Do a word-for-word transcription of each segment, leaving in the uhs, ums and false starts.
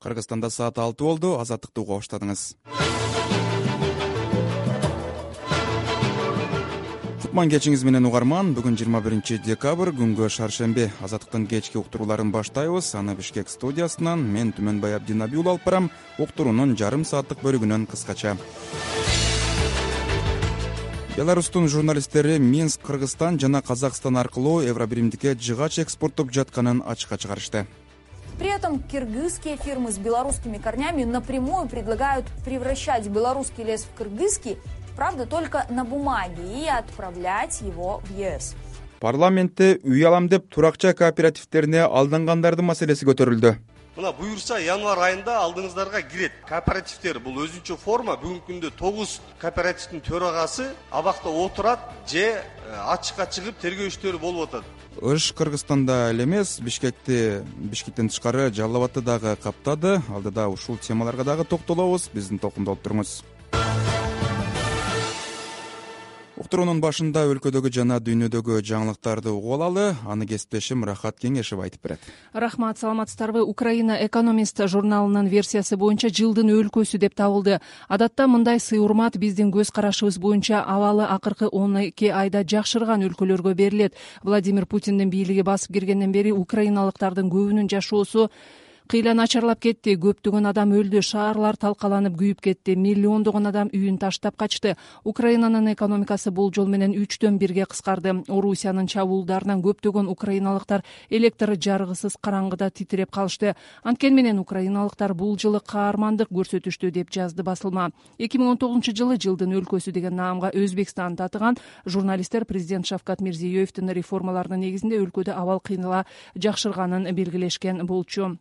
Кыргызстанда саат алты болду. Азаттыкты угуп баштадыңыз. Кутман кечиңиз менен угарман. Бүгүн жыйырма биринчи декабрь, күнгө шаршемби. Азаттыктын кечки уктурууларын баштайбыз. Аны Бишкек студиясынан мен Түмөнбай Абдинабиул алып барам. Уктуруунун жарым сааттык бөлүгүнөн кыскача. Беларустун журналисттери Минск, Кыргызстан жана Казакстан аркылуу Евробиримдикке жыгач экспорттоп жатканын ачыкка чыгарышты. При этом кыргызские фирмы с белорусскими корнями напрямую предлагают превращать белорусский лес в кыргызский, правда, только на бумаге, и отправлять его в ЕС. Парламентте үй алам деп туракча кооперативтерине алдангандардын маселеси көтөрүлдү. Мына буюрса январь айында алдыңыздарга кирет. Кооперативдер бул өзүнчө форма. Бүгүнкү күндө тогуз кооперативдин төрагасы абакта отурат же ачыкка чыгып тергөө иштери болуп атат. Ыш Кыргызстанда эле эмес, Бишкекти Бишкектен тышкары Жалал Абадты дагы каптады. Алдыда ушул темаларга дагы токтолобуз. Биздин токумда болуп туруңуз. Уктуруунун башында өлкөдөгү жана дүйнөдөгү жаңылыктарды угуп алалы. Аны кесиптешим Рахат Кеңешев айтып берет. Рахмат, саламатсыздарбы? Украина Экономист журналынын версиясы боюнча жылдын өлкөсү деп табылды. Адатта мындай сый-урмат биздин көз карашыбыз боюнча абалы акыркы он эки айда жакшырган өлкөлөргө берилет. Владимир Путиндин бийлиги басып киргенден бери украиналыктардын көбүнүн жашоосу кыйла начарлап кетти. Көптөгөн адам өлдү, шаарлар талкаланып күйүп кетти, миллиондогон адам үйүн таштап качты. Украинанын экономикасы бул жол менен үчтөн бирге кыскарды. Орусиянын чабуулдарынан көптөгөн украиналыктар электр жарыгысыз караңгыда титиреп калышты. Анткени менен украиналыктар бул жылы каармандык көрсөтүштү деп жазды басылма. эки миң он тогузунчу жылы жылдын өлкөсү деген наамга Өзбекстан татыган журналисттер президент Шавкат Мирзиёевдин реформаларынын негизинде өлкөдө абал кыйла жакшырганын белгилешкен болчу.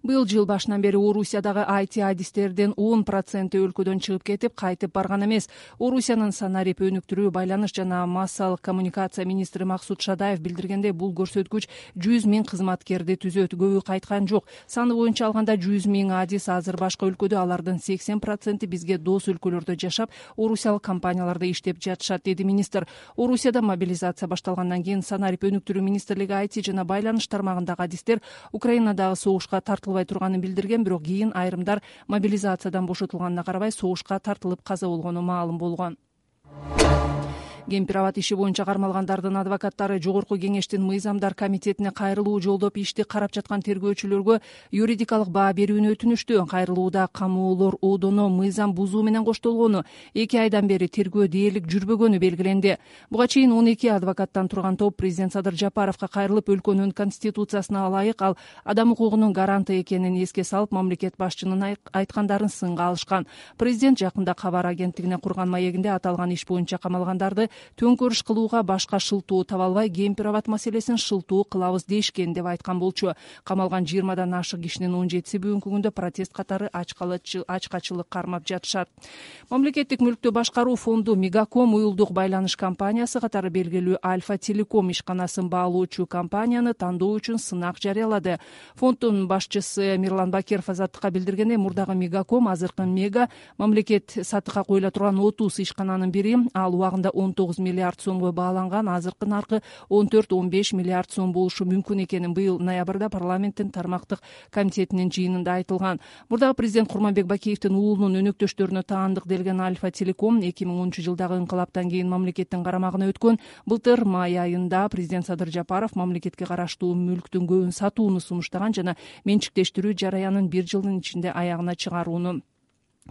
Быйыл жыл башынан бери Орусиядагы ай ти адистердин он проценти өлкөдөн чыгып кетип, кайтып барган эмес. Орусиянын санарип өнүктүрүү, байланыш жана массалык коммуникация министри Максут Шадаев билдиргендей, бул көрсөткүч жүз миң кызматкерди түзөт. Көбү кайткан жок. Саны боюнча алганда жүз миң адис азыр башка өлкөдө, алардын сексен проценти бизге дос өлкөлөрдө жашап, орусиялык компанияларда иштеп жатышат, деди министр. Орусияда мобилизация башталгандан кийин санарип өнүктүрүү министрлиги ай ти жана байланыш тармагындагы адистер Украинадагы согуш тартылбай турганын билдирген, бирок кийин айрымдар мобилизациядан бошотулганына карабай согушка тартылып каза болгону маалым болгон. Кемпир-абад иши боюнча кармалгандардын адвокаттары Жогорку кеңештин мыйзамдар комитетине кайрылуу жолдоп ишти карап жаткан тергөөчүлөргө юридикалык баа берүүнү өтүнүштү. Кайрылууда камоолор одоно мыйзам бузуу менен коштолгону, эки айдан бери тергөө дээрлик жүрбөгөнү белгиленди. Буга чейин он эки адвокаттан турган топ президент Садыр Жапаровго кайрылып, өлкөнүн конституциясына ылайык ал адам укугунун гаранты экенин эске салып, мамлекет башчынын айткандарын сынга алышкан. Президент жакында кабар агенттигине курган маегинде аталган иш боюнча камалгандарды төңкөрүш кылууга башка шылтоо таба албай, Кемпир-абад маселесин шылтоо кылабыз дешкен деп айткан болчу. Камалган жыйырмадан ашык кишинин он жетиси бүгүнкү күндө протест катары ачкачылык кармап жатышат. Мамлекеттик мүлктү башкаруу фонду Мегаком, уюлдук байланыш компаниясы катары белгилүү Альфа Телеком ишканасын баалоочу компанияны тандоо үчүн сынак жарыялады. Фонддун башчысы Мирлан Бакиров Азаттыкка билдиргендей, мурдагы Мегаком азыркы Мега мамлекет сатыкка коюла турган отуз ишкананын бири. Ал убагында он тогуз миллиард сомго бааланган, азыркы наркы он төрт он беш миллиард сом болушу мүмкүн экенин быйыл ноябрда парламенттин тармактык комитетинин жыйынында айтылган. Мурдагы президент Курманбек Бакиевдин уулунун өнөктөштөрүнө таандык делген Альфа Телеком эки миң онунчу жылдагы инкылаптан кийин мамлекеттин карамагына өткөн. Былтыр май айында президент Садыр Жапаров мамлекетке караштуу мүлктүн көбүн сатууну сунуштаган жана менчиктештирүү жараянын бир жылдын ичинде аягына чыгарууну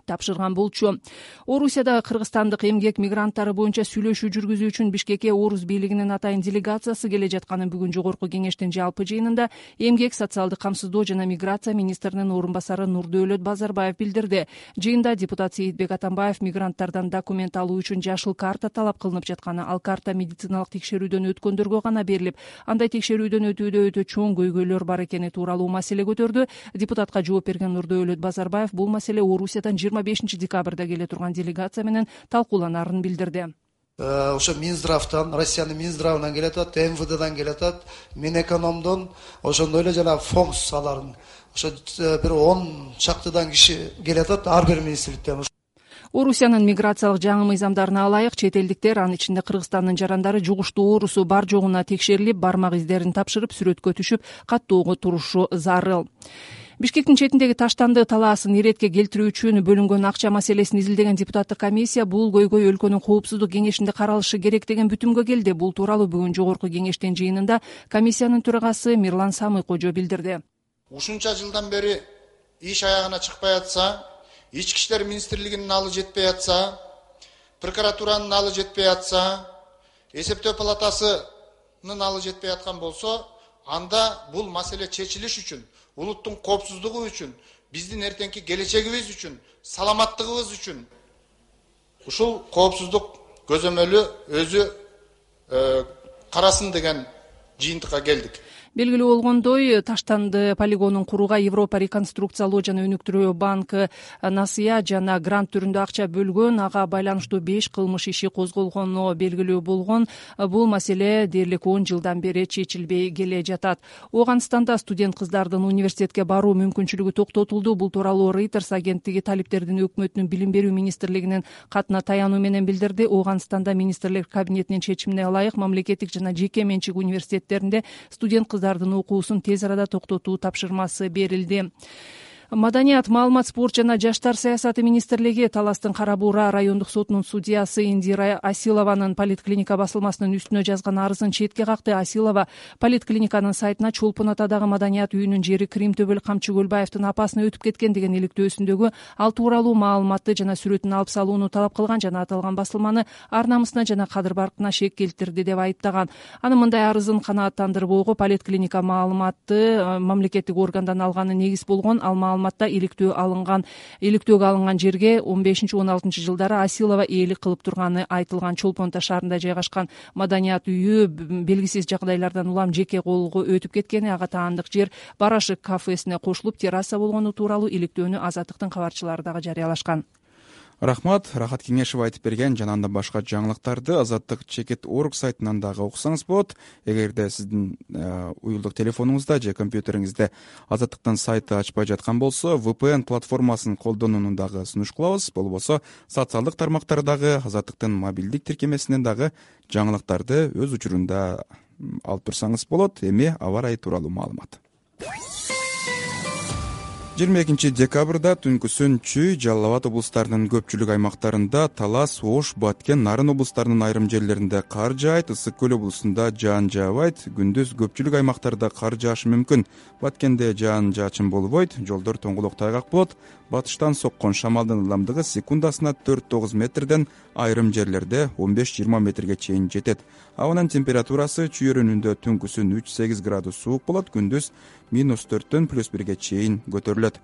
тапшырган болчу. Орусияда кыргызстандык эмгек мигранттары боюнча сүйлөшүү жүргүзүү үчүн Бишкекке Орус бийлигинин атайын делегациясы келе жатканын бүгүн Жогорку кеңештин жалпы жыйынында эмгек, социалдык камсыздоо жана миграция министринин орун басары Нурдөөлөт Базарбаев билдирди. Жыйында депутат Сейитбек Атамбаев мигранттардан документ алуу үчүн жашыл карта талап кылынып жатканы, ал карта медициналык текшерүүдөн өткөндөргө гана берилип, андай текшерүүдөн өтүүдө өтө чоң көйгөйлөр бар экени тууралуу маселе көтөрдү. Депутатка жооп берген Нурдөөлөт Базарбаев бул маселе Орусиядан жыйырма бешинчи декабрда келе турган делегация менен талкууланарын билдирди. Ошо Минздравтан, Россиянын Минздравынан келатат, эм вэ дэдан келатат, Минэкономдон, ошондой эле жана фонгс аларын. Ошо бир он чактыдан киши келатат ар бир министрликтен. Орусиянын миграциялык жаңы мыйзамдарына ылайык чет элдиктер, анын ичинде Кыргызстандын жарандары жугуштуу оорусу бар жогуна текшерилип, бармак издерин тапшырып, сүрөткө түшүп, каттоого турушу зарыл. Бишкектин четиндеги таштанды талаасын иретке келтирүү үчүн бөлүнгөн акча маселесин изилдеген депутаттык комиссия бул көйгөй өлкөнүн коопсуздук кеңешинде каралышы керек деген бүтүмгө келди. Бул тууралуу бүгүн жогорку кеңештин жыйынында комиссиянын төрагасы Мирлан Самый-Кожо билдирди. Ушунча жылдан бери иш аягына чыкпай атса, ички иштер министрлигинин алы жетпей атса, прокуратуранын алы жетпей атса, эсептөө палатасынын алы жетпей аткан болсо, анда бул маселе чечилиш үчүн, улуттун коопсуздугу үчүн, биздин эртеңки келечегибиз үчүн, саламаттыгыбыз үчүн ушул коопсуздук көзөмөлү өзү карасын деген жыйынтыкка келдик. Белгилүү болгондой, таштанды полигонун курууга Европа реконструкциялоо жана өнүктүрүү банкы насыя жана грант түрүндө акча бөлгөн, ага байланыштуу беш кылмыш иши козголгону белгилүү болгон. Бул маселе дээрлик он жылдан бери чечилбей келе жатат. Ооганстанда студент кыздардын университетке баруу мүмкүнчүлүгү токтотулду. Бул тууралуу Reuters агенттиги талиптердин өкмөтүнүн билим берүү министрлигинин катына таянуу менен билдирди. Ооганстанда министрлер кабинетинин чечимине ылайык мамлекеттик жана жеке менчик университеттеринде студент кыздар окуусун тез арада токтотуу тапшырмасы берилди. Маданият, маалымат, спорт жана жаштар саясаты министрлиги Таластын Кара Буура райондук сотунун судьясы Индира Асилованын поликлиника басылмасынын үстүнө жазган арызын четке какты. Асилова поликлиниканын сайтына Чолпон атадагы маданият үйүнүн жери Кримтөбөл Камчы Көлбаевдин апасына өтүп кеткен деген иликтөөсүндөгү ал тууралуу маалыматты жана сүрөтүн алып салууну талап кылган жана аталган басылманы ар намысына жана кадыр баркына шек келтирди деп айыптаган. Анын мындай арызын канааттандырбоого поликлиника маалыматты мамлекеттик органдан алганы негиз болгон. Ал маалыматта иликтөө алынган иликтөөгө алынган жерге он бешинчи он алтынчы жылдары Асилова ээлик кылып турганы айтылган. Чолпон шаарында жайгашкан маданият үйү белгисиз жагдайлардан улам жеке колго өтүп кеткени, ага таандык жер Барашык кафесине кошулуп терраса болгону тууралуу иликтөөнү Азаттыктын кабарчылары дагы жарыялашкан. Рахмат, Рахат Кеңешев айтып берген жана анда башка жаңылыктарды Азаттык чекит орг сайтынан дагы окусаңыз болот. Эгерде сиздин уюлдук телефонуңузда же компьютериңизде Азаттыктын сайты ачпай жаткан болсо, ви пи эн платформасын колдонууну дагы сунуш кылабыз. Болбосо социалдык тармактардагы Азаттыктын мобилдик тиркемесинен дагы жаңылыктарды өз учурунда алып турсаңыз болот. Эми аба ырайы тууралуу маалымат. жыйырма экинчи декабрда түнкүсүн Чүй, Жалал Абад облустарынын көпчүлүк аймактарында, Талас, Ош, Баткен, Нарын облустарынын айрым жерлеринде кар жаайт. Ысык көл облусунда жаан жаабайт. Күндүз көпчүлүк аймактарда кар жаашы мүмкүн. Баткенде жаан жаачын болбойт. Жолдор тоңголок тайгак болот. Батыштан соккон шамалдын ылдамдыгы секундасына төрт тогуз метрден, айрым жерлерде он беш жыйырма метрге чейин жетет. Абанын температурасы Чүй өрүнүндө түнкүсүн үч сегиз градус суук болот, күндүз минус төрттөн плюс бирге чейин көтөрүлөт.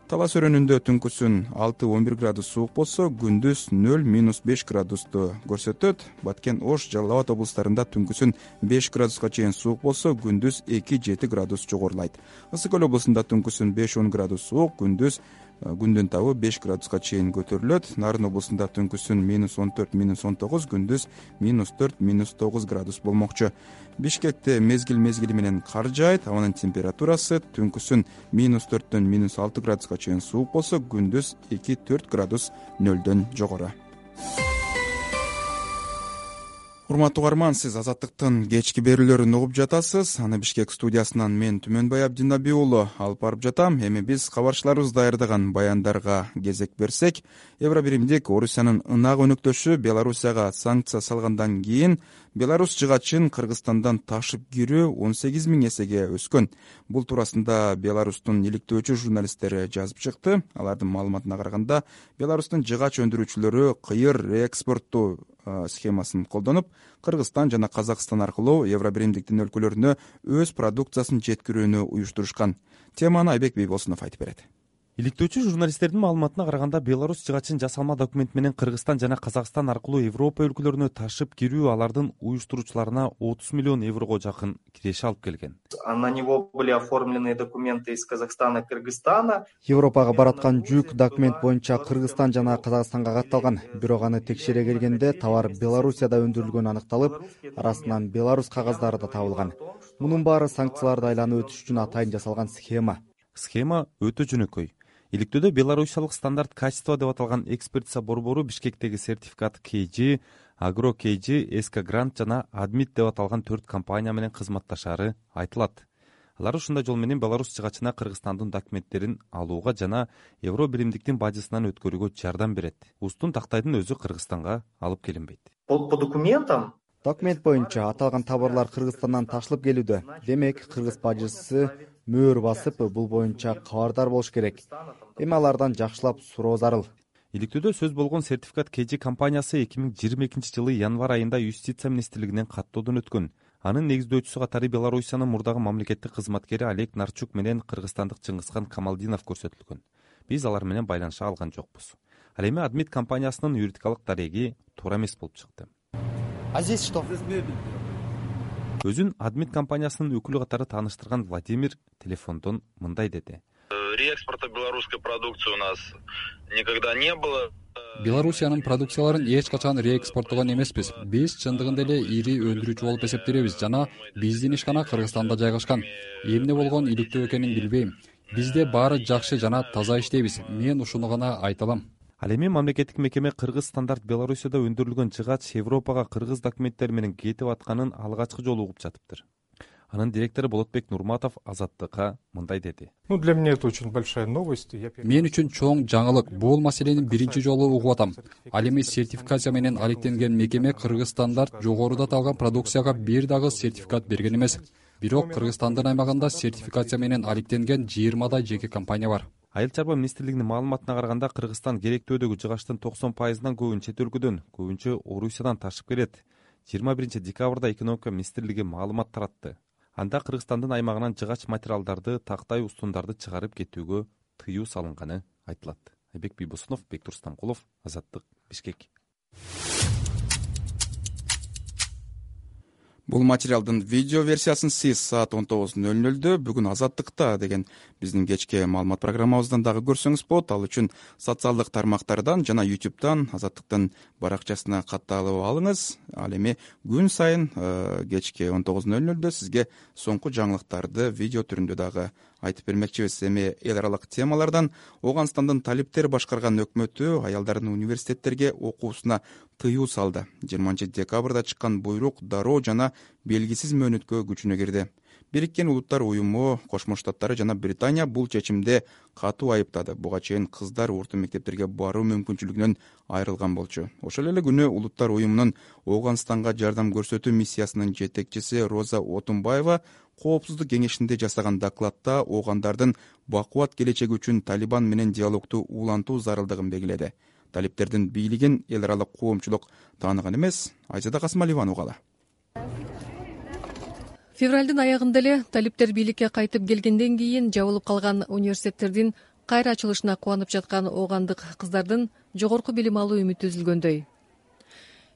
Талас өрүнүндө түнкүсүн алты он бир градус суук болсо, күндүз нөл минус беш градусту көрсөтөт. Баткен, Ош, Жалал Абад облустарында түнкүсүн беш градуска чейин суук болсо, күндүз эки жети градус жогорулайт. Ысык көл облусунда түнкүсүн беш он градус суук, күндүз күндүн табы беш градуска чейин көтөрүлөт. Нарын облусунда түнкүсүн минус он төрт минус он тогуз, күндүз минус төрт минус тогуз градус болмокчу. Бишкекте мезгил мезгили менен кар жаайт. Абанын температурасы түнкүсүн минус төрттөн минус алты градуска чейин суук болсо, күндүз эки төрт градус нөлдөн жогору. Урматтуу угарман, сиз Азаттыктын кечки берүүлөрүн угуп жатасыз. Аны Бишкек студиясынан мен Түмөнбай Абдинаби уулу алып барып жатам. Эми биз кабарчыларыбыз даярдаган баяндарга кезек берсек, Евробиримдик Орусиянын ынак өнөктөшү Белоруссияга санкция салгандан кийин Беларус жыгачын Кыргызстандан ташып кирүү он сегиз миң эсеге өскөн. Бул туурасында Беларустун иликтөөчү журналисттери жазып чыкты. Алардын маалыматына караганда, Беларустун жыгач өндүрүүчүлөрү кыйыр реэкспорттуу схемасын колдонуп, Кыргызстан жана Казакстан аркылуу Евробиримдиктин өлкөлөрүнө өз продукциясын жеткирүүнү уюштурушкан. Теманы Айбек Бейбосунов айтып берет. Иликтөөчү журналисттердин маалыматына караганда, Беларусь жыгачын жасалма документ менен Кыргызстан жана Казакстан аркылуу Европа өлкөлөрүнө ташып кирүү алардын уюштуруучуларына отуз миллион еврого жакын киреше алып келген. На него были оформлены документы из Казахстана, Кыргызстана. Европага бараткан жүк документ боюнча Кыргызстан жана Казакстанга катталган. Бирок аны текшере келгенде товар Белоруссияда өндүрүлгөнү аныкталып, арасынан Беларусь кагаздары да табылган. Мунун баары санкцияларды айланып өтүш үчүн атайын жасалган схема. Схема өтө жөнөкөй. Иликтөөдө белорусиялык стандарт качество деп аталган экспертиза борбору Бишкектеги сертификат кей джи, Агро кей джи, эс ка Грант жана Адмит деп аталган төрт компания менен кызматташары айтылат. алар ушундай жол менен Беларусь жыгачына Кыргызстандын документтерин алууга жана Евро биримдиктин бажысынан өткөрүүгө жардам берет. Устун тактайдын өзү Кыргызстанга алып келинбейт. По документам Документ боюнча аталган товарлар Кыргызстандан ташылып келүүдө. Демек, кыргыз бажысы мөөр басып, бул боюнча кабардар болуш керек. Эми алардан жакшылап суроо зарыл. Иликтөөдө сөз болгон сертификат кей жи компаниясы эки миң жыйырма экинчи жылы январь айында Юстиция министрлигинен каттоодон өткөн. Анын негиздөөчүсү катары Белоруссиянын мурдагы мамлекеттик кызматкери Олег Нарчук менен кыргызстандык Чыңгызхан Камалдинов көрсөтүлгөн. Биз алар менен байланыша алган жокпуз. Ал эми Адмит компаниясынын юридикалык дареги туура эмес болуп чыкты. А здесь что? Өзүн Адмит компаниясынын өкүлү катары тааныштырган Владимир телефондон мындай деди. Реэкспорта белорусской продукции у нас никогда не было. Белоруссиянын продукцияларын эч качан реэкспорттогон эмеспиз. Биз чындыгында эле ири өндүрүүчү болуп эсептелебиз жана биздин ишкана Кыргызстанда жайгашкан. Эмне болгон иликтөө экенин билбейм. Бизде баары жакшы жана таза иштейбиз. Мен ушуну гана айта алам. Ал эми мамлекеттик мекеме Кыргыз стандарт Белоруссияда өндүрүлгөн жыгач Европага кыргыз документтери менен кетип атканын алгачкы жолу угуп жатыптыр. Анын директору Болотбек Нурматов Азаттыкка мындай деди. Ну, для меня это очень большая новость. Мен үчүн чоң жаңылык. Бул маселени биринчи жолу угуп атам. Ал эми сертификация менен алектенген мекеме Кыргыз стандарт жогоруда аталган продукцияга бир дагы сертификат берген эмес. Бирок Кыргызстандын аймагында сертификация менен алектенген жыйырмадай жеке компания бар. Айыл чарба министрлигинин маалыматына караганда Кыргызстан керектөөдөгү жыгачтын токсон пайызынан көбүн чет өлкөдөн, көбүнчө Орусиядан ташып келет. жыйырма биринчи декабрда экономика министрлиги маалымат таратты. Анда Кыргызстандын аймагынан жыгач материалдарды, тактай устундарды чыгарып кетүүгө тыюу салынганы айтылат. Айбек Бийбосунов, Бектур Стамкулов, Азаттык, Бишкек. Бул материалдын видео версиясын сиз саат он тогуз ноль нолдо бүгүн Азаттыкта деген биздин кечки маалымат программабыздан дагы көрсөңүз болот. Ал үчүн социалдык тармактардан жана ютубтан Азаттыктын баракчасына катталып алыңыз. Ал эми күн сайын кечки он тогуз ноль нолдо сизге соңку жаңылыктарды видео түрүндө дагы айтып бермекчибиз. Эми эл аралык темалардан Ооганстандын талиптер башкарган өкмөтү аялдардын университеттерге окуусуна тыюу салды. жыйырманчы декабрда чыккан буйрук дароо жана белгисиз мөөнөткө күчүнө кирди. Бириккен Улуттар уюму, Кошмо Штаттары жана Британия бул чечимди катуу айыптады. Буга чейин кыздар орто мектептерге баруу мүмкүнчүлүгүнөн айрылган болчу. Ошол эле күнү Улуттар уюмунун Ооганстанга жардам көрсөтүү миссиясынын жетекчиси Роза Отунбаева Коопсуздук кеңешинде жасаган докладта оогандардын бакубат келечеги үчүн Талибан менен диалогду улантуу зарылдыгын белгиледи. Талиптердин бийлигин эл аралык коомчулук тааныган эмес. Айзада Касымалиеванын угалы. Февралдын аягында эле талиптер бийликке кайтып келгенден кийин жабылып калган университеттердин кайра ачылышына кубанып жаткан оогандык кыздардын жогорку билим алуу үмүтү үзүлгөндөй.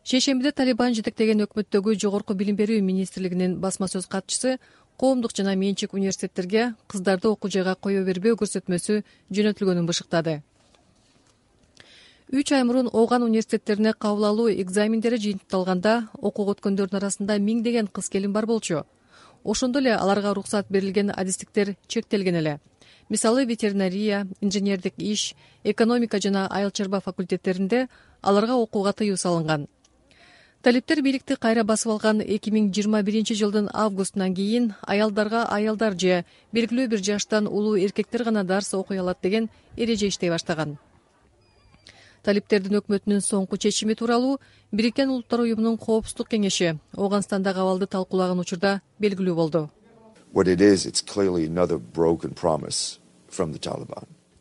Шейшембиде Талибан жетектеген өкмөттөгү жогорку билим берүү министрлигинин басма сөз катчысы коомдук жана менчик университеттерге кыздарды окуу жайга кое бербөө көрсөтмөсү жөнөтүлгөнүн бышыктады. Үч ай мурун Ооган университеттерине кабыл алуу экзамендери жыйынтыкталганда окууга өткөндөрдүн арасында миңдеген кыз келин бар болчу. Ошондо эле аларга уруксат берилген адистиктер чектелген эле. Мисалы, ветеринария, инженердик иш, экономика жана айыл чарба факультеттеринде аларга окууга тыюу салынган. Талиптер бийликти кайра басып алган эки миң жыйырма биринчи жылдын августунан кийин аялдарга аялдар же белгилүү бир жаштан улуу эркектер гана дарс окуй алат деген эреже иштей баштаган. Талиптердин өкмөтүнүн соңку чечими тууралуу Бириккен Улуттар уюмунун Коопсуздук кеңеши Ооганстандагы абалды талкуулаган учурда белгилүү болду.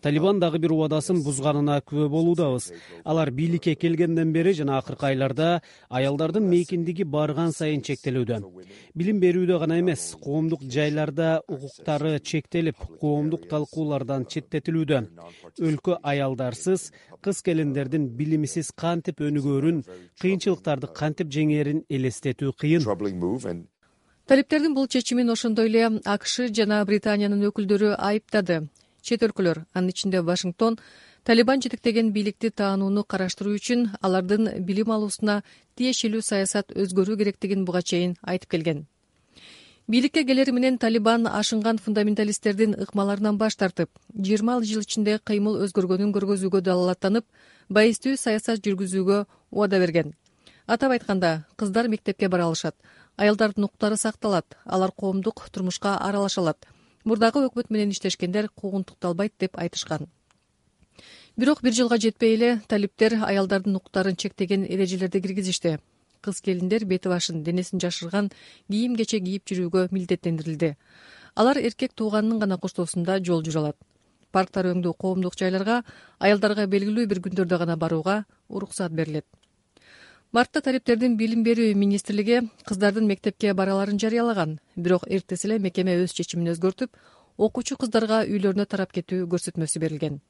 Талибан дагы бир убадасын бузганына күбө болуудабыз. Алар бийликке келгенден бери жана акыркы айларда аялдардын мейкиндиги барган сайын чектелүүдө. Билим берүүдө гана эмес, коомдук жайларда укуктары чектелип, коомдук талкуулардан четтетилүүдө. Өлкө аялдарсыз, кыз келиндердин билимсиз кантип өнүгөрүн, кыйынчылыктарды кантип жеңээрин элестетүү кыйын. Талиптердин бул чечимин ошондой эле АКШ жана Британиянын өкүлдөрү айыптады. Чет өлкөлөр, анын ичинде Вашингтон, Талибан жетектеген бийликти таанууну караштыруу үчүн алардын билим алуусуна тиешелүү саясат өзгөрүү керектигин буга чейин айтып келген. Бийликке келери менен Талибан ашынган фундаменталисттердин ыкмаларынан баш тартып, жыйырма жыл ичинде кыймыл өзгөргөнүн көргөзүүгө далалаттанып, байыстуу саясат жүргүзүүгө убада берген. Атап айтканда, кыздар мектепке бара алышат. аялдардын укуктары сакталат, алар коомдук турмушка аралаша алат. Мурдагы өкмөт менен иштешкендер куугунтукталбайт деп айтышкан. Бирок бир жылга жетпей эле талиптер аялдардын укуктарын чектеген эрежелерди киргизишти. Кыз келиндер бети башын, денесин жашырган кийим-кече кийип жүрүүгө милдеттендирилди. Алар эркек тууганынын гана коштоосунда жол жүрө алат. Парктар өңдүү коомдук жайларга аялдарга белгилүү бир күндөрдө гана барууга уруксат берилет. Мартта талиптердин билим берүү министрлиги кыздардын мектепке бараларын жарыялаган, бирок эртеси эле мекеме өз чечимин өзгөртүп, окуучу кыздарга үйлөрүнө тарап кетүү көрсөтмөсү берилген.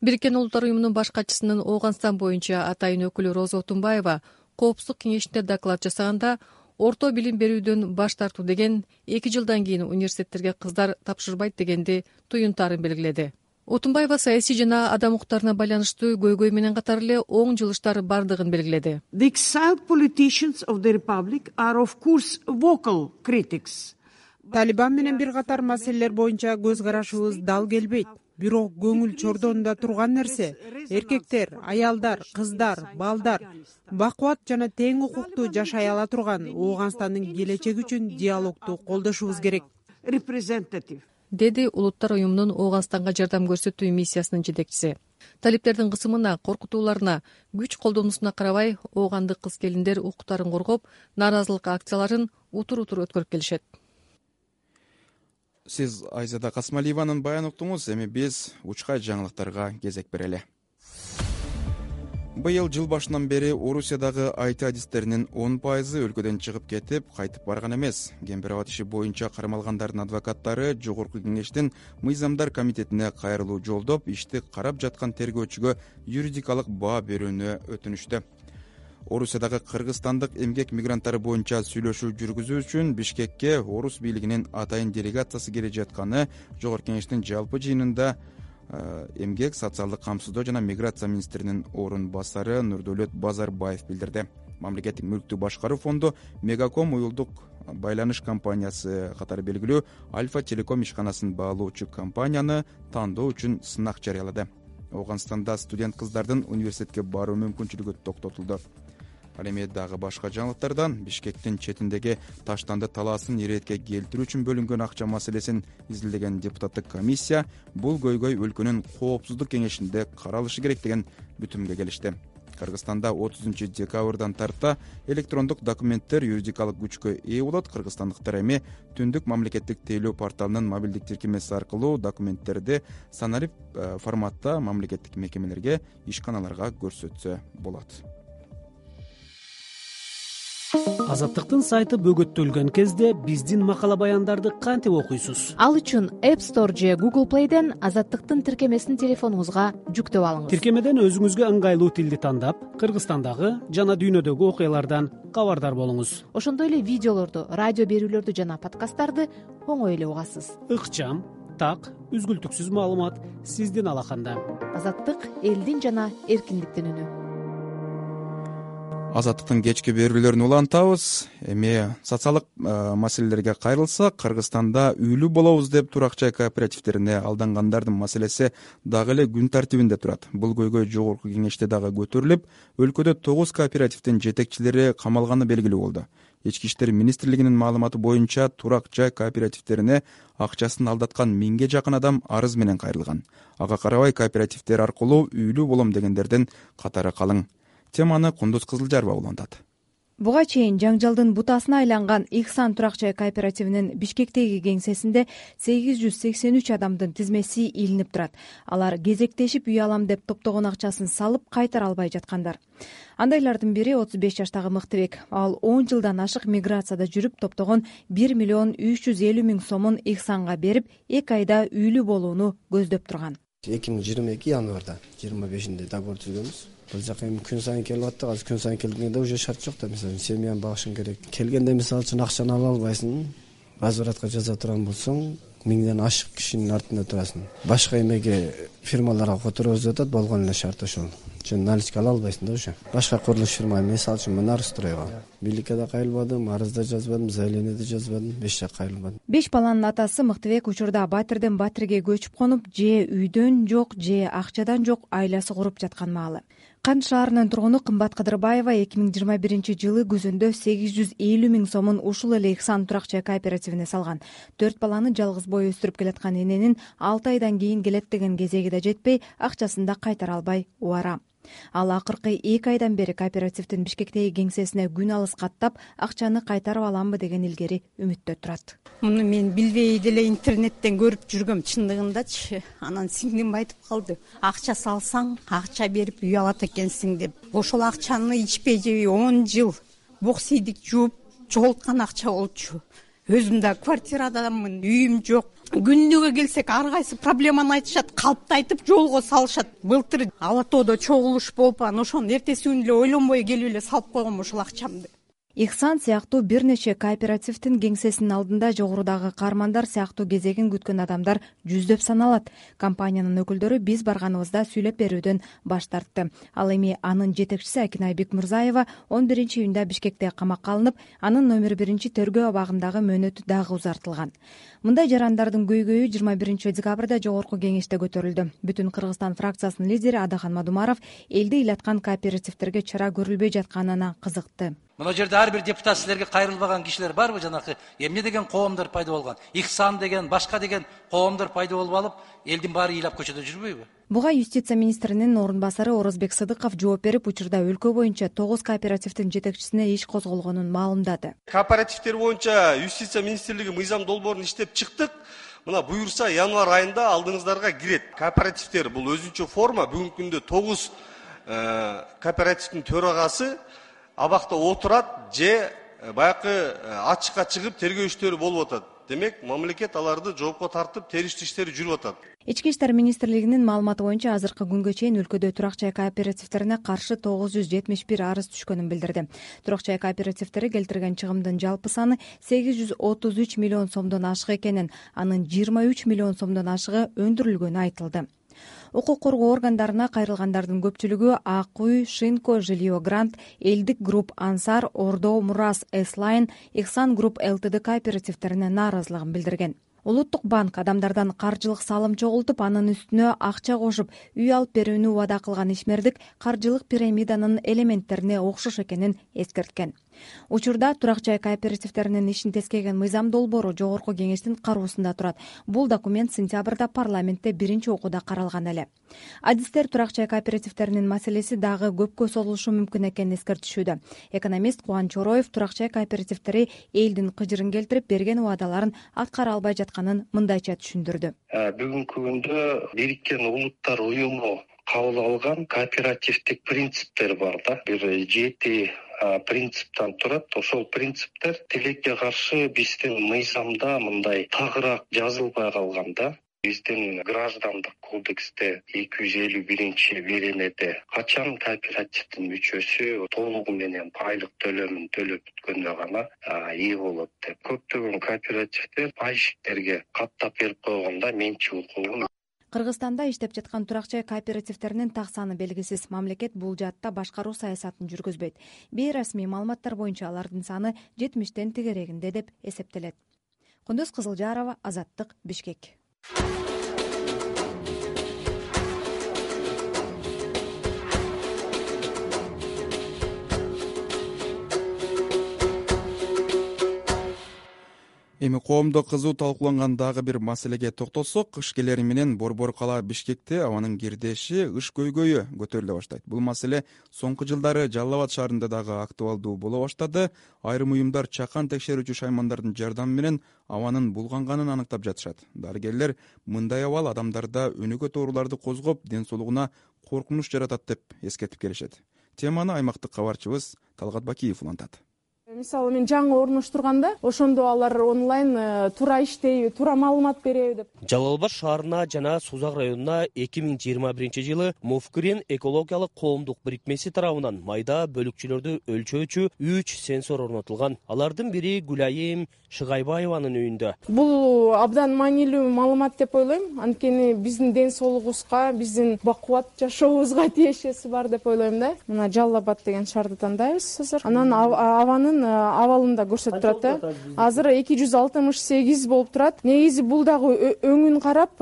Бириккен Улуттар уюмунун баш катчысынын Ооганстан боюнча атайын өкүлү Роза Отунбаева Коопсуздук кеңешинде доклад жасаганда, орто билим берүүдөн баш тартуу деген эки жылдан кийин университеттерге кыздар тапшырбайт дегенди туюнтаарын белгиледи. Отунбаева саясий жана адам укуктарына байланыштуу көйгөй менен катар эле оң жылыштар бардыгын белгиледи. The exiled politicians of the republic are of course vocal critics. Талибан менен бир катар маселелер боюнча көз карашыбыз дал келбейт. Бирок көңүл чордонунда турган нерсе эркектер, аялдар, кыздар, балдар бакубат жана тең укуктуу жашай ала турган Ооганстандын келечеги үчүн диалогду колдошубуз керек. Representative деди Улуттар уюмунун Ооганстанга жардам көрсөтүү миссиясынын жетекчиси. Талиптердин кысымына, коркутууларына, күч колдонуусуна карабай, оогандык кыз келиндер укуктарын коргоп, нааразылык акцияларын утур-утур өткөрүп келишет. Сиз Айзада Касмалиеванын баянын уктуңуз, эми биз учкай жаңылыктарга кезек берели. Быйыл жыл башынан бери Орусиядагы ай ти адистеринин он пайызы өлкөдөн чыгып кетип, кайтып барган эмес. Кембир-Абад иши боюнча кармалгандардын адвокаттары Жогорку Кеңештин Мыйзамдар комитетине кайрылуу жолдоп, ишти карап жаткан тергөөчүгө юридикалык баа берүүнү өтүнүштү. Орусиядагы кыргызстандык эмгек мигранттары боюнча сүйлөшүү жүргүзүү үчүн Бишкекке орус бийлигинин атайын делегациясы келе жатканы Жогорку Кеңештин жалпы жыйынында эмгек, социалдык камсыздоо жана миграция министринин орун басары Нурдөлөт Базарбаев билдирди. Мамлекеттик мүлктү башкаруу фонду Мегаком уюлдук байланыш компаниясы катары белгилүү Альфа Телеком ишканасын баалоочу компанияны тандоо үчүн сынак жарыялады. Ооганстанда студент кыздардын университетке баруу мүмкүнчүлүгү токтотулду. Ал эми дагы башка жаңылыктардан Бишкектин четиндеги Таштанды талаасын иретке келтирүү үчүн бөлүнгөн акча маселесин изилдеген депутаттык комиссия бул көйгөй өлкөнүн коопсуздук кеңешинде каралышы керек деген бүтүмгө келишти. Кыргызстанда отузунчу декабрдан тарта электрондук документтер юридикалык күчкө ээ болот. Кыргызстандыктар эми Түндүк мамлекеттик тейлөө порталынын мобилдик тиркемеси аркылуу документтерди санарип форматта мамлекеттик мекемелерге, ишканаларга көрсөтсө болот. Азаттыктын сайты бөгөттөлгөн кезде биздин макала баяндарды кантип окуйсуз? Ал үчүн App Store же Google Play'ден Азаттыктын тиркемесин телефонуңузга жүктөп алыңыз. Тиркемеден өзүңүзгө ыңгайлуу тилди тандап, Кыргызстандагы жана дүйнөдөгү окуялардан кабардар болуңуз. Ошондой эле видеолорду, радио берүүлөрдү жана подкасттарды оңой эле угасыз. Ыкчам, так, үзгүлтүксүз маалымат сиздин алаканда. Азаттык элдин жана эркиндиктин үнү. Азаттыктын кечки берүүлөрүн улантабыз. Эми социалдык маселелерге кайрылсак, Кыргызстанда үйлүү болобуз деп турак жай кооперативтерине алдангандардын маселеси дагы эле күн тартибинде турат. Бул көйгөй Жогорку Кеңеште дагы көтөрүлүп, өлкөдө тогуз кооперативдин жетекчилери камалганы белгилүү болду. Ички иштер министрлигинин маалыматы боюнча турак жай кооперативтерине акчасын алдаткан миңге жакын адам арыз менен кайрылган. Ага карабай кооперативдер аркылуу үйлүү болом дегендердин катары калың. Теманы Кундуз Кызылжарова улантат. Буга чейин жаңжалдын бутасына айланган Ихсан турак жай кооперативинин Бишкектеги кеңсесинде сегиз жүз сексен үч адамдын тизмеси илинип турат. Алар кезектешип үй алам деп топтогон акчасын салып кайтара албай жаткандар. Андайлардын бири отуз беш жаштагы Мыктыбек. Ал он жылдан ашык миграцияда жүрүп топтогон бир миллион үч жүз элүү миң сомун Ихсанга берип, эки айда үйлүү болууну көздөп турган. эки миң жыйырма эки январда жыйырма бешинде договор түзгөнбүз. Бул жака эми күн сайын келип атты. Азыр күн сайын келгенде уже шарт жок да. Мисалы семьяны багышың керек. Келгенде мисалы үчүн акчаны ала албайсың. Возвратка жаза турган болсоң, миңден ашык кишинин артында турасың. Башка эмеге фирмаларга которобуз атат, болгон эле шарт ошол. Жөн наличка ала албайсың да уже. Башка курулуш фирма, мисалы үчүн Монарстройго. Бийликке да кайрылбадым, арыз да жазбадым, заявление да жазбадым, беш жак кайрылбадым. Беш баланын атасы Мыктыбек учурда Батирден Батирге көчүп конуп, же үйдөн жок, же акчадан жок айласы куруп жаткан маалы. Кант шаарынын тургуну Кымбат Кыдырбаева эки миң жыйырма биринчи жылы күзөндө сегиз жүз элүү миң сомун ушул эле Ихсан турак жай кооперативине салган. Төрт баланы жалгыз бой өстүрүп келаткан эненин алты айдан кийин келет деген кезеги да жетпей, акчасын да кайтара албай убара. Ал акыркы эки айдан бери кооперативдин Бишкектеги кеңсесине күн алыс каттап, акчаны кайтарып аламбы деген илгери үмүттө турат. Муну мен билбей деле интернеттен көрүп жүргөм, чындыгындачы. Анан сиңдим айтып калды. Акча салсаң, акча берип үй алат экенсиң деп. Ошол акчаны ичпей жебей он жыл боксийдик жууп жоголткан акча болчу. Өзүм да квартирадамын, үйүм жок. Күнүгө келсек ар кайсы проблеманы айтышат, калпты айтып жолго салышат. Былтыр Ала тоодо чогулуш болуп, анан ошону эртеси күнү эле ойлонбой келип эле салып койгом ушул акчамды. Ихсан сыяктуу бир нече кооперативдин кеңсесинин алдында жогорудагы каармандар сыяктуу кезегин күткөн адамдар жүздөп саналат. Компаниянын өкүлдөрү биз барганыбызда сүйлөп берүүдөн баш тартты. Ал эми анын жетекчиси Акинай Бекмурзаева он биринчи июнда Бишкекте камакка алынып, анын номер биринчи тергөө абагындагы мөөнөтү дагы узартылган. Мындай жарандардын көйгөйү жыйырма биринчи декабрда жогорку кеңеште көтөрүлдү. Бүтүн Кыргызстан фракциясынын лидери Адахан Мадумаров элди ыйлаткан кооперативдерге чара көрүлбөй жатканына кызыкты. Мына жерде ар бир депутат силерге кайрылбаган кишилер барбы? Жанакы эмне деген коомдор пайда болгон? Ихсан деген, башка деген коомдор пайда болуп алып, элдин баары ыйлап көчөдө жүрбөйбү? Буга юстиция министринин орун басары Орозбек Сыдыков жооп берип, учурда өлкө боюнча тогуз кооперативдин жетекчисине иш козголгонун маалымдады. Кооперативдер боюнча юстиция министрлиги мыйзам долбоорун иштеп чыктык. Мына буюрса январь айында алдыңыздарга кирет. Кооперативдер бул өзүнчө форма. Бүгүнкү күндө тогуз кооперативдин төрагасы абакта отурат же баягы ачыкка чыгып тергөө иштери болуп атат. Демек, мамлекет аларды жоопко тартып, териштүү иштери жүрүп атат. Ички иштер министрлигинин маалыматы боюнча азыркы күнгө чейин өлкөдө турак жай кооперативдерине каршы тогуз жүз жетимиш бир арыз түшкөнүн билдирди. Турак жай кооперативдери келтирген чыгымдын жалпы саны сегиз жүз отуз үч миллион сомдон ашык экенин, анын жыйырма үч миллион сомдон ашыгы өндүрүлгөнү айтылды. Укук коргоо органдарына кайрылгандардын көпчүлүгү Ак үй, Шинко, Жилио Грант, Элдик Групп, Ансар, Ордо, Мурас, Эслайн, Ихсан Групп ЛТД кооперативдерине нааразылыгын билдирген. Улуттук банк адамдардан каржылык салым чогултуп, анын үстүнө акча кошуп, үй алып берүүнү убада кылган ишмердик каржылык пирамиданын элементтерине окшош экенин эскерткен. Учурда турак жай кооперативдеринин ишин тескеген мыйзам долбоору жогорку кеңештин кароосунда турат. Бул документ сентябрда парламентте биринчи окууда каралган эле. Адистер турак жай кооперативдеринин маселеси дагы көпкө созулушу мүмкүн экенин эскертишүүдө. Экономист Кубан Чороев турак жай кооперативдери элдин кыжырын келтирип, берген убадаларын аткара албай жатканын мындайча түшүндүрдү. Бүгүнкү күндө Бириккен Улуттар уюму кабыл алган кооперативдик принциптер бар да. Бир жети принциптен турат. Ошол принциптер тилекке каршы биздин мыйзамда мындай тагыраак жазылбай калган да. Биздин граждандык кодексте эки жүз элүү биринчи беренеде качан кооперативдин мүчөсү толугу менен айлык төлөмүн төлөп бүткөндө гана ээ болот деп. Көптөгөн кооперативдер пайщиктерге каттап берип койгондо менчик укугун. Кыргызстанда иштеп жаткан турак жай кооперативдеринин так саны белгисиз. Мамлекет бул жаатта башкаруу саясатын жүргүзбөйт. Бейрасмий маалыматтар боюнча алардын саны жетимиштен тегерегинде деп эсептелет. Кундуз Кызылжарова, Азаттык, Бишкек. Эми коомдо кызуу талкууланган дагы бир маселеге токтолсок, кыш келери менен Борбор кала Бишкекте абанын кирдеши, ыш көйгөйү көтөрүлө баштайт. Бул маселе соңку жылдары Жалал Абад шаарында дагы актуалдуу боло баштады. Айрым уюмдар чакан текшерүүчү шаймандардын жардамы менен абанын булганганын аныктап жатышат. Дарыгерлер мындай абал адамдарда өнүгөт ооруларды козгоп, ден соолугуна коркунуч жаратат деп эскертип келишет. Теманы аймактык кабарчыбыз Талгат Бакиев улантат. Мисалы мен жаңы орноштурганда ошондо алар онлайн туура иштейби, туура маалымат береби деп. Жалал Абад шаарына жана Сузак районуна эки миң жыйырма биринчи жылы Мовкирен экологиялык коомдук бирикмеси тарабынан майда бөлүкчөлөрдү өлчөөчү үч сенсор орнотулган. Алардын бири Гүлайым Шыгайбаеванын үйүндө. Бул абдан маанилүү маалымат деп ойлойм. Анткени биздин ден соолугубузга, биздин бакубат жашообузга тиешеси бар деп ойлойм да. Мына Жалал Абад деген шаарды тандайбыз азыр. Анан абанын абалында көрсөтүп турат да. Азыр эки жүз алтымыш сегиз болуп турат. Негизи бул дагы өңүн карап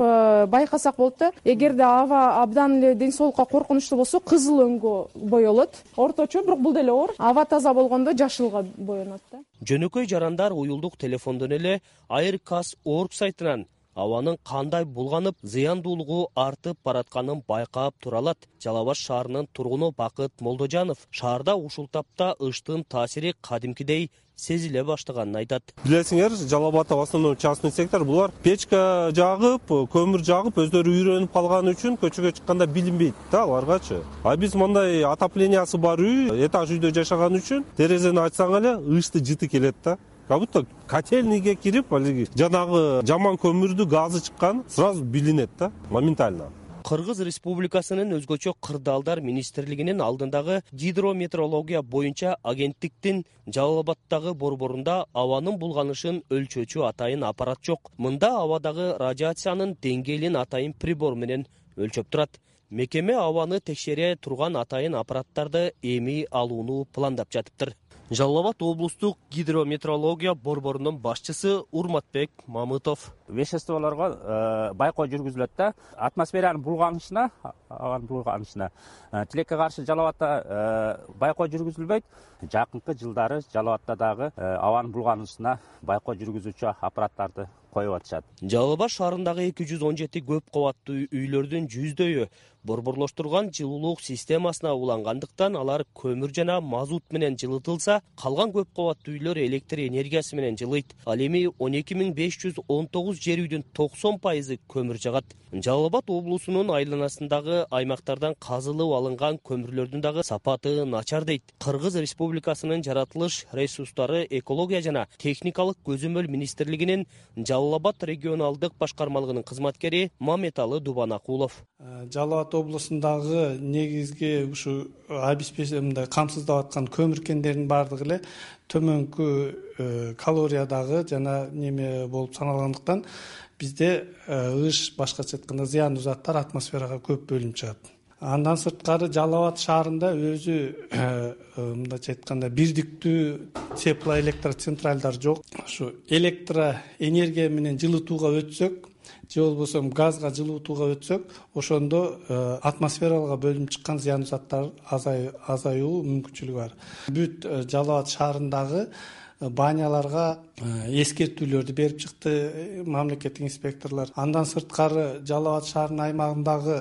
байкасак болот да. Эгерде аба абдан эле ден соолукка коркунучтуу болсо, кызыл өңгө боелот. Орточо, бирок бул деле оор. Аба таза болгондо жашылга боенот да. Жөнөкөй жарандар уюлдук телефондон эле Aircast точка org сайтынан абанын кандай булганып, зыяндуулугу артып баратканын байкап тура алат. Жалал Абад шаарынын тургуну Бакыт Молдожанов шаарда ушул тапта ыштын таасири кадимкидей сезиле баштаганын айтат. Билесиңер, Жалал Абадда в основном частный сектор, булар печка жагып, көмүр жагып, өздөрү үйрөнүп калган үчүн көчөгө чыкканда билинбейт да аларгачы. А биз мындай отоплениясы бар үй, этаж үйдө жашаган үчүн терезени ачсаң эле ышты жыты келет да. Как будто котельныйге кирип, алиги жанагы жаман көмүрдү газы чыккан сразу билинет да, моментально. Кыргыз Республикасынын өзгөчө кырдаалдар министрлигинин алдындагы гидрометеорология боюнча агенттиктин Жалал Абаддагы борборунда абанын булганышын өлчөөчү атайын аппарат жок. Мында абадагы радиациянын деңгээлин атайын прибор менен өлчөп турат. Мекеме абаны текшере турган атайын аппараттарды эми алууну пландап жатыптыр. Жалал Абад облустук гидрометеорология борборунун башчысы Урматбек Мамытов. Веществолорго байкоо жүргүзүлөт да. Атмосферанын булганышына, абанын булганышына тилекке каршы Жалал Абадда байкоо жүргүзүлбөйт. Жакынкы жылдары Жалал Абадда дагы абанын булганышына байкоо жүргүзүүчү аппараттарды коюп атышат. Жалал Абад шаарындагы эки жүз он жети көп кабаттуу үйлөрдүн жүздөөү борборлоштурган жылуулук системасына улангандыктан алар көмүр жана мазут менен жылытылса, калган көп кабаттуу үйлөр электр энергиясы менен жылыйт. Ал эми он эки миң беш жүз он тогуз жер үйдүн токсон пайызы көмүр жагат. Жалал Абад облусунун айланасындагы аймактардан казылып алынган көмүрлөрдүн дагы сапаты начар дейт. Кыргыз Республикасынын жаратылыш ресурстары, экология жана техникалык көзөмөл министрлигинин Жалал Абад регионалдык башкармалыгынын кызматкери Маметалы Дубанакулов. Жалал Абад облусундагы негизги ушу обеспечение камсыздап аткан көмүр кендеринин баардыгы эле төмөнкү калориядагы жана неме болуп саналгандыктан бизде ыш, башкача айтканда зыяндуу заттар атмосферага көп бөлүнүп чыгат. Андан сырткары Жалал Абад шаарында өзү мындайча айтканда бирдиктүү теплоэлектроцентралдар жок. Ушу электроэнергия менен жылытууга өтсөк, же болбосо газга жылытууга өтсөк, ошондо атмосферага бөлүнүп чыккан зыяндуу заттар азаюу мүмкүнчүлүгү бар. Бүт Жалал Абад шаарындагы баняларга эскертүүлөрдү берип чыкты мамлекеттик инспекторлор. Андан сырткары Жалал Абад шаарынын аймагындагы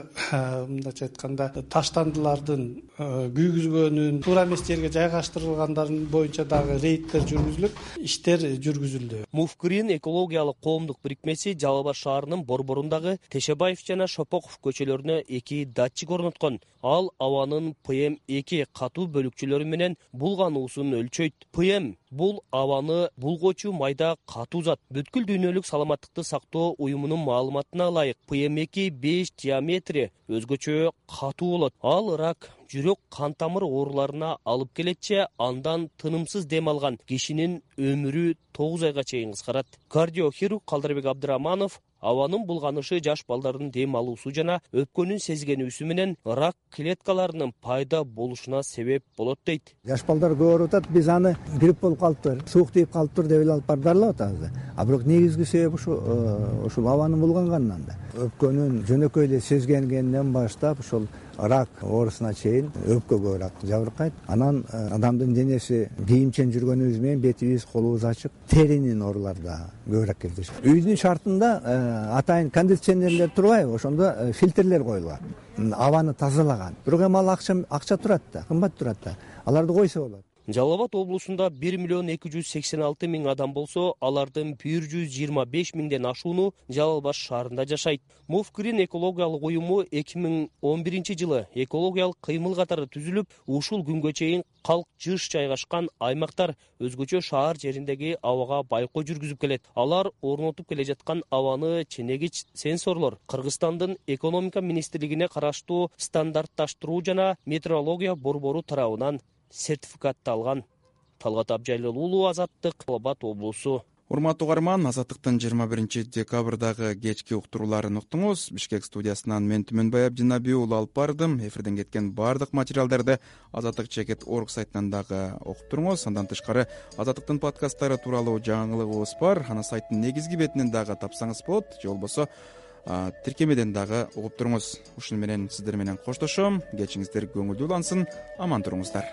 мындайча айтканда таштандылардын күйгүзгөнүн, туура эмес жерге жайгаштырылгандарын боюнча дагы рейдтер жүргүзүлүп, иштер жүргүзүлдү. Муфкирин экологиялык коомдук бирикмеси Жалал Абад шаарынын борборундагы Тешебаев жана Шопоков көчөлөрүнө эки датчик орноткон. Ал абанын пэ эм эки катуу бөлүкчөлөрү менен булгануусун өлчөйт. пэ эм бул абаны булгоочу майда катуу зат. Бүткүл дүйнөлүк саламаттыкты сактоо уюмунун маалыматына ылайык пэ эм эки беш диаметри өзгөчө катуу болот. Ал рак, жүрөк, кан тамыр ооруларына алып келетчи, андан тынымсыз дем алган кишинин өмүрү тогуз айга чейин кыскарат. Кардиохирург Калдырбек Абдыраманов абанын булганышы жаш балдардын дем алуусу жана өпкөнүн сезгенүүсү менен рак клеткаларынын пайда болушуна себеп болот дейт. Жаш балдар көп ооруп атат, биз аны грипп болуп калыптыр, суук тийип калыптыр деп эле алып барып дарылап атабыз. А бирок негизги себеп ушу ушул абанын булганганынан да. Өпкөнүн жөнөкөй эле сезгенгенден баштап ушул рак оорусуна чейин өпкө көбүрөөк жабыркайт. Анан адамдын денеси кийимчен жүргөнүбүз менен бетибиз, колубуз ачык, теринин оорулары да көбүрөөк кездешет. Үйдүн шартында атайын кондиционерлер турбайбы, ошондо фильтрлер коюлган, абаны тазалаган. Бирок эми ал акча акча турат да, кымбат турат да. Аларды койсо болот. Жалал Абад облусунда бир миллион эки жүз сексен алты миң адам болсо, алардын бир жүз жыйырма беш миңден ашууну Жалал Абад шаарында жашайт. Муфкирин экологиялык уюму эки миң он биринчи жылы экологиялык кыймыл катары түзүлүп, ушул күнгө чейин калк жыш жайгашкан аймактар өзгөчө шаар жериндеги абага байкоо жүргүзүп келет. Алар орнотуп келе жаткан абаны ченегич сенсорлор Кыргызстандын экономика министрлигине караштуу стандартташтыруу жана метеорология борбору тарабынан сертификатталган. Талгат Абжайлыл уулу, Азаттык, Жалал Абад облусу. урматтуу угарман, Азаттыктын жыйырма биринчи декабрдагы кечки уктурууларын уктуңуз. Бишкек студиясынан мен Түмөнбай Абдинабий уулу алып бардым. Эфирден кеткен баардык материалдарды азаттык чекит орг сайтынан дагы окуп туруңуз. Андан тышкары Азаттыктын подкасттары тууралуу жаңылыгыбыз бар. Аны сайттын негизги бетинен дагы тапсаңыз болот, же болбосо тиркемеден дагы угуп туруңуз. Ушуну менен сиздер менен коштошом. Кечиңиздер көңүлдүү улансын. Аман туруңуздар.